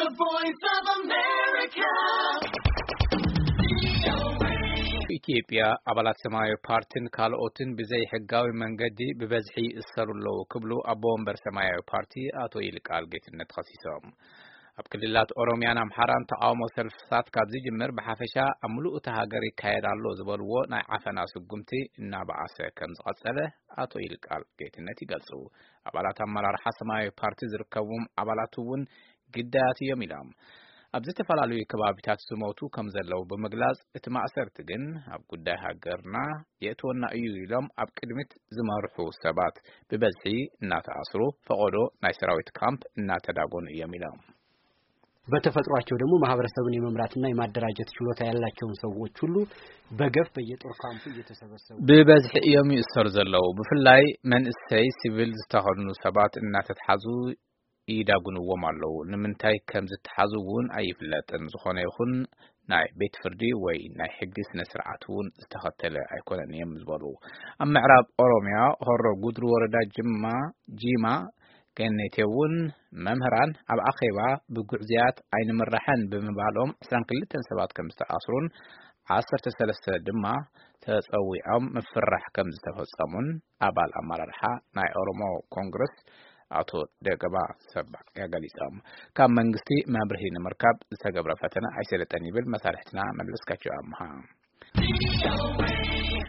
The Voice of America. ኢትዮጵያ ኣባላት ሰማያዊ ፓርቲን ካልኦትን ብዘይ ሕጋዊ መንገዲ ብበዝሒ ይእሰሩ ኣለዉ ክብሉ ኣቦ ወንበር ሰማያዊ ፓርቲ ኣቶ ይልቃል ጌትነት ከሲሶም። ኣብ ክልላት ኦሮሚያን ኣምሓራን ተቃውሞ ሰልፍታት ካብ ዝጅምር ብሓፈሻ ኣብ ምሉእ እታ ሃገር ይካየድ ኣሎ ዝበልዎ ናይ ዓፈና ስጉምቲ እናበኣሰ ከም ዝቐጸለ ኣቶ ይልቃል ጌትነት ይገልጹ። ኣባላት ኣመራርሓ ሰማያዊ ፓርቲ ዝርከብዎም ኣባላት እውን ግዳያት እዮም ኢሎም። ኣብ ዝተፈላለዩ ከባቢታት ዝሞቱ ከም ዘለዉ ብምግላጽ፣ እቲ ማእሰርቲ ግን ኣብ ጉዳይ ሃገርና የእትወና እዩ ኢሎም ኣብ ቅድሚት ዝመርሑ ሰባት ብበዝሒ እናተኣስሩ፣ ፈቐዶ ናይ ሰራዊት ካምፕ እናተዳጎኑ እዮም ኢሎም። በተፈጥሯቸው ደግሞ ማህበረሰብን የመምራትና የማደራጀት ችሎታ ያላቸውን ሰዎች ሁሉ በገፍ በየጦር ካምፑ እየተሰበሰቡ ብበዝሒ እዮም ይእሰሩ ዘለዉ። ብፍላይ መንእሰይ ሲቪል ዝተኸድኑ ሰባት እናተትሓዙ ይዳጉንዎም ኣለዉ። ንምንታይ ከም ዝተሓዙ እውን ኣይፍለጥን። ዝኾነ ይኹን ናይ ቤት ፍርዲ ወይ ናይ ሕጊ ስነ ስርዓት እውን ዝተኸተለ ኣይኮነን እዮም ዝበሉ። ኣብ ምዕራብ ኦሮሚያ ሆሮ ጉድሩ ወረዳ ጅማ፣ ጂማ ገኔቴ እውን መምህራን ኣብ ኣኼባ ብጉዕዝያት ኣይንምራሕን ብምባሎም ዕስራን ክልተን ሰባት ከም ዝተኣስሩን ዓሰርተ ሰለስተ ድማ ተጸዊዖም ምፍራሕ ከም ዝተፈጸሙን ኣባል ኣመራርሓ ናይ ኦሮሞ ኮንግረስ ኣቶ ደገባ ሰባ ገሊጾም። ካብ መንግስቲ መብርሂ ንምርካብ ዝተገብረ ፈተነ ኣይሰለጠን ይብል መሳርሕትና መለስካቸው ኣምሃ።